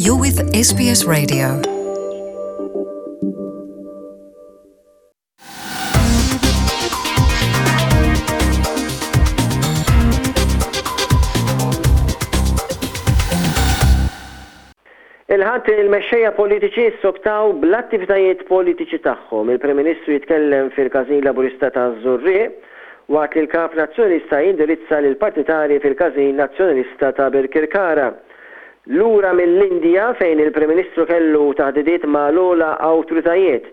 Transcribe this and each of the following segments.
You're with SBS Radio. Il-Ħadd il-mexxejja politiċi ssoktaw bl-attivitajiet politiċi tagħhom. Il-Prim Ministru jitkellem fil-Każin Laburista taż-Żurrieq waqt li l-Kap Nazzjonalista jindirizza lill-partitarji fil-Każin Nazzjonalista ta' Birkirkara. Lura mill-Indja fejn il-Prim Ministru kellu taħdidiet ma' l-ogħla awtoritajiet,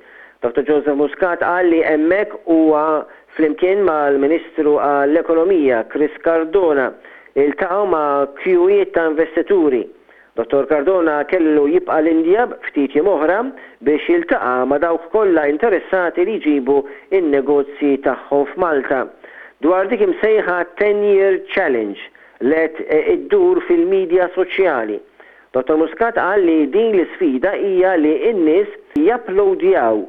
Dottor Joseph Muscat qal li hemmhekk huwa flimkien mal-Ministru għall-Ekonomija Chris Cardona iltaqgħu ma' kjuwiet ta' investituri. Dottor Cardona kellu jibqa' l-Indja ftit jiem oħra biex jiltaqa' ma' dawk kollha interessati li jġibu n-negozji tagħhom f'Malta dwar dik imsejħa Ten Year Challenge li qed iddur fil-midja soċjali. Dottor Muscat qal li din l-isfida hija li n-nies japplowdjaw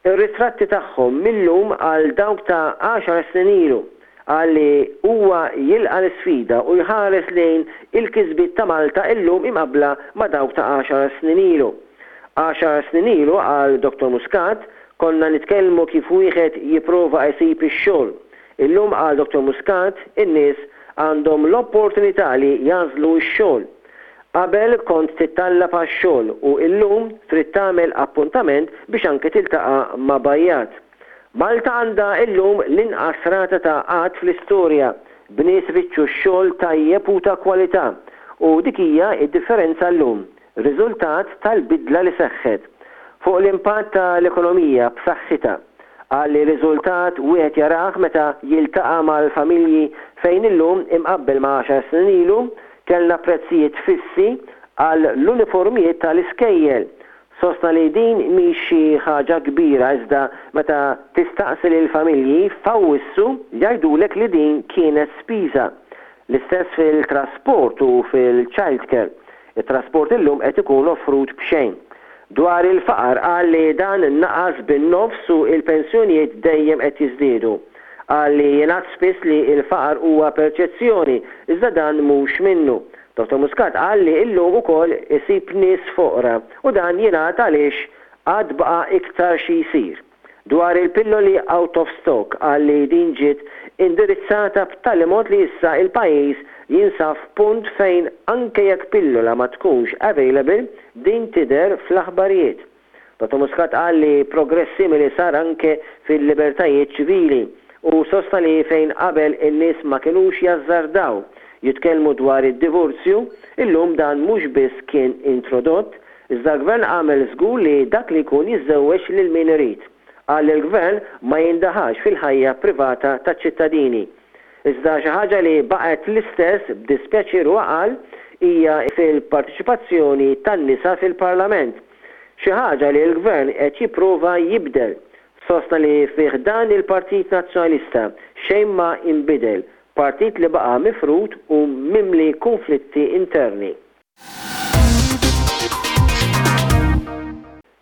ir-ritratti tagħhom mil-lum għal dawk ta' għaxar snin ilu. Qal li huwa jilqa' l-isfida u jħares lejn il-kisbiet ta' Malta illum imqabbla ma' dawk ta' għaxar snin ilu. Għaxar snin ilu, qal Dottor Muscat, konna nitkellmu kif wieħed jipprova jsib ix-xogħol. Illum, qal Dottor Muscat, in-nies għandhom l-opportunità li jagħżlu x-xogħol. Qabel kont tittallab għax-xogħol u illum trid tagħmel appuntament biex anke tiltaqa' ma' bajjad. Malta għandha illum l-inqas rata ta' qgħad fl-istorja, b'nies ifittxu x-xogħol tajjeb u ta' kwalità. U dik hija d-differenza llum, riżultat tal-bidla li seħħet. Fuq l-impatt ta' l-ekonomija b'saħħitha. Qal li riżultat wieħed jarah meta jiltaqa' mal-familji fejn illum imqabbel ma' għaxar snin ilu, kellna prezzijiet fissi għal l-uniformijiet ta' l-iskejjel. Sostna li din mhix xi ħaġa kbira iżda meta tistaqsi lill-familji f'Awwissu jgħidulek li din kienet spiża. L-istess fil-trasport u fil-childcare. It-trasport illum qed ikun offrut b'xejn. Dwar il-faqar qal li dan naqas bin-nofs u l-pensjonijiet dejjem qed jiżdiedu. Qal li jingħad spiss li l-faqar huwa perċezzjoni, iżda dan mhux minnu. Dottor Muscat qal li illum ukoll isib nies foqra u dan jingħad għaliex għad baqa' iktar xi jsir. Dwar il-pilloli out of stock qal li din ġiet indirizzata b'tali mod li issa il-pajjiż jinsab f'punt fejn anke jekk pillola ma tkunx available din tidher fl-aħbarijiet. Dottor Muscat qal li progress simili sar anke fil-libertajiet ċivili u sostna li fejn qabel in-nies ma kinux jażżardaw jitkellmu dwar id-divorzju, illum dan mhux biss kien introdott, Iżda l-Gvern għamel żgur li dak li jkun jiżżewweġ lil min irid. Qal li l-Gvern ma jindaħalx fil-ħajja privata taċ-ċittadini. Iżda xi ħaġa li baqgħet l-istess, b'dispjaċir huwa qal, hija fil-parteċipazzjoni tan-nisa fil-Parlament. Xi ħaġa li l-Gvern qed jipprova jibdel. Sostna li fi ħdan il-Partit Nazzjonalista xejn ma inbidel, partit li baqa' mifrud u mimli kunflitti interni.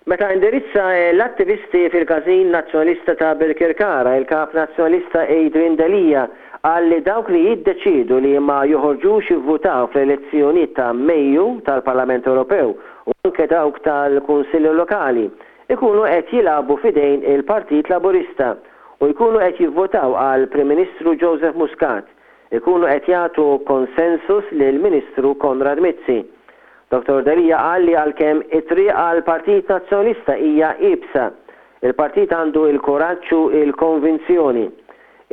Meta indirizza l-attivisti fil-Każin Nazzjonalista ta' Birkirkara, il-Kap Nazzjonalista Adrian Delia qal li dawk li jiddeċiedu li ma joħorġux jivvutaw fl-elezzjonijiet ta' Mejju tal-Parlament Ewropew u anke dawk tal-Kunsilli Lokali ikunu qed jilagħbu f'idejn il-Partit Laburista u jkunu qed jivvutaw għall-Prim Ministru Joseph Muscat. ikunu qed jagħtu konsensus lill-Ministru Konrad Mizzi. Dottor Delia qal li għalkemm it-triq għall-Partit Nazzjonalista hija iebsa, il-partit għandu l-kuraġġ u l-konvinzjoni.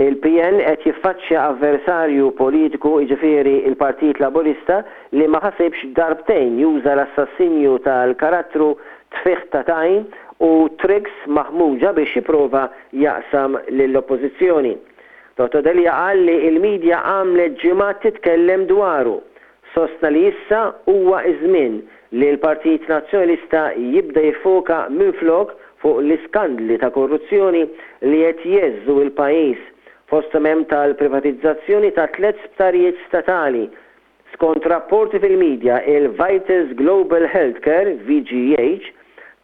Il-PN qed jiffaċċja avversarju politiku, jiġifieri l-Partit Laburista, li ma ħasibx darbtejn juża l-assassinju tal-karattru, tfigħ ta' tajn u tricks maħmuġa biex jipprova jaqsam lill-Oppożizzjoni. Dottor Delia qal li l-media għamlet ġimgħat titkellem dwaru. Sostna li issa huwa ż-żmien li l-Partit Nazzjonalista jibda jiffoka minflok fuq l-iskandli ta' korruzzjoni li qed jgħeżżu l-pajjiż, fosthom hemm tal-privatizzazzjoni ta' tlett sptarijiet statali Skont rapporti fil-media, il-Vitas Global Healthcare, VGH,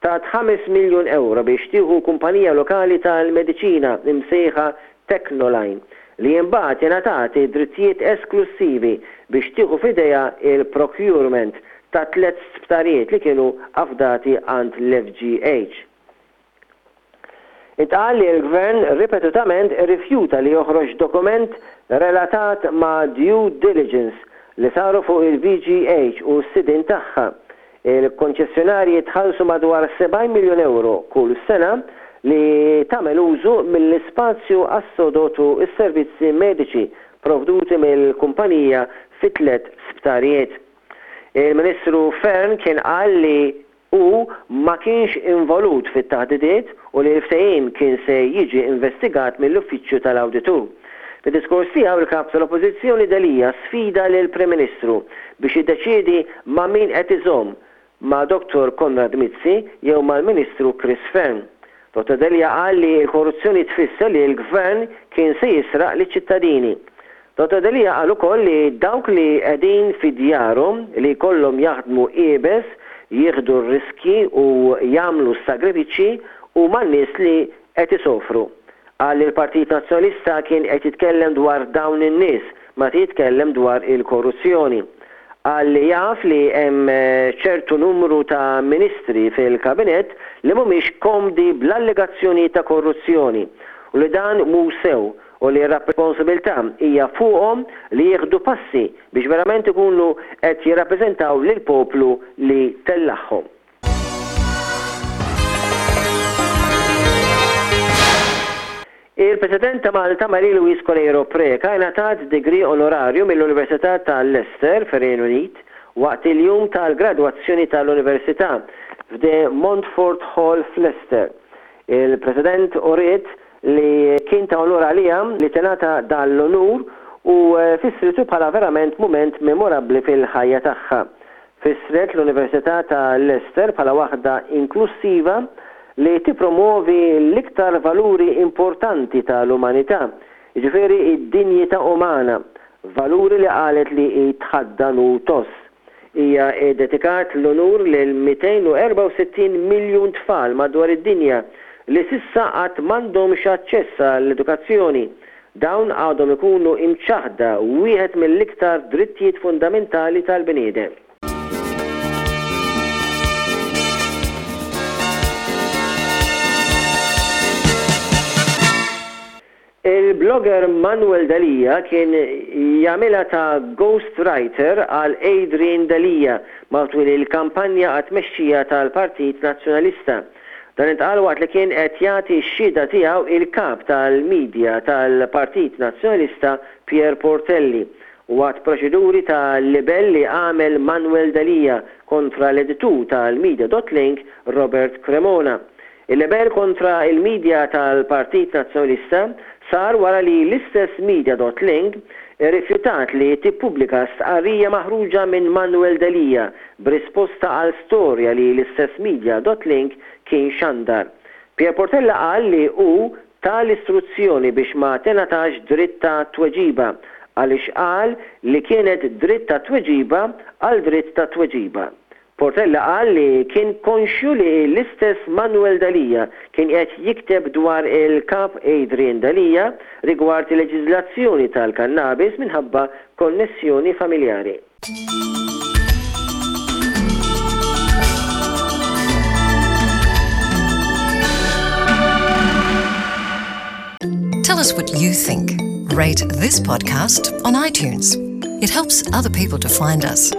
tat ħames miljun ewro biex tieħu kumpanija lokali tal-mediċina msejħa Technoline, li imbagħad ingħatat id-drittijiet esklussivi biex tieħu f'idejha il-procurement. ta' tlett sptarijiet li kienu afdati għand l-FGH. Intqal li l-Gvern ripetutament irrifjuta li joħroġ dokument relatat ma' due diligence li saru fuq il-VGH u s-sidien tagħha. Il-konċessjonarji tħallsu madwar 70 miljun ewro kull sena li tagħmel użu mill-ispazju għas-sodod u s-servizzi mediċi provduti mill-kumpanija fi tlett sptarijiet. Il-Ministru Fearne kien qal li hu ma kienx involut fit-taħdidiet u li l-ftehim kien se jiġi investigat mill-Uffiċċju tal-Awditur. Fid-diskors tiegħu il-Kap tal-Oppożizzjoni Delia sfida lill-Prim Ministru biex jiddeċiedi ma' min qed iżomm, ma' Dottor Konrad Mizzi jew mal-Ministru Chris Fearne. Dottor Delia qal li l-korruzzjoni tfisser li l-Gvern kien se jisraq liċ-ċittadini. Dottor Delia qal ukoll li dawk li qegħdin fi djarhom li jkollhom jaħdmu iebes, jieħdu r-riskji u jagħmlu s-sagrifiċċji huma n-nies li qed isofru. Qal li l-Partit Nazzjonalista kien qed jitkellem dwar dawn in-nies meta jitkellem dwar il-korruzzjoni. Qal li jaf li hemm ċertu numru ta' ministri fil-Kabinett li mhumiex komdi bl-allegazzjonijiet ta' korruzzjoni u li dan mhux sew u li r-rapsponsibilità hija fuqhom li jieħdu passi biex verament ikunu qed jirrappreżentaw lill-poplu li tellagħhom. Il-President ta' Malta Marie Louise Coleiro Preca ingħatat degree onorarju mill-Università ta' Leicester fir-Renju Unit waqt il-jum tal-gradwazzjoni tal-Università f'De Montfort Hall f'Leicester. Il-President uriet li kien ta' unur għaliha li tingħata dan l-unur u fissritu bħala verament mument memorabbli fil-ħajja tagħha. Fissret l-Università ta' Leicester bħala waħda inklussiva li tippromwovi l-iktar valuri importanti tal-umanità, jiġifieri d-dinjità umana, valuri li qalet li hi tħaddan u tgħożż. Hija ddedikat l-unur lil 264 miljun tfal madwar id-dinja li s'issa għad m'għandhomx aċċess għall-edukazzjoni. Dawn għadhom ikunu imċaħħda wieħed mill-iktar drittijiet fundamentali tal-bniedem. Il-blogger Manuel Delia kien jagħmilha ta' ghost writer għal Adrian Delia matul il-kampanja għat-tmexxija tal-Partit Nazzjonalista. Dan intqal waqt li kien qed jagħti x-xhieda tiegħu il-Kap tal-Media tal-Partit Nazzjonalista Pierre Portelli waqt proċeduri ta' libell li għamel Manuel Delia kontra l-editur tal-Media dot Link Robert Cremona. Il-libell kontra l-media tal-Partit Nazzjonalista sar wara li l-istess Media dot Link irrifjutat li tippubblika stqarrija maħruġa minn Manuel Delia b'risposta għal storja li l-istess Media dot Link kien xandar. Pierre Portella qal li hu ta l-istruzzjoni biex ma tingħatax dritt ta' tweġiba għaliex qal li kienet dritt ta' tweġiba għal dritt ta' tweġiba. Portella qal li kien konxju li l-istess Manuel Delia kien qed jikteb dwar il-Kap Adrian Delia rigward il-leġiżlazzjoni tal-kannabis minħabba konnessjoni familjari. Tell us what you think. Rate this podcast on iTunes. It helps other people to find us.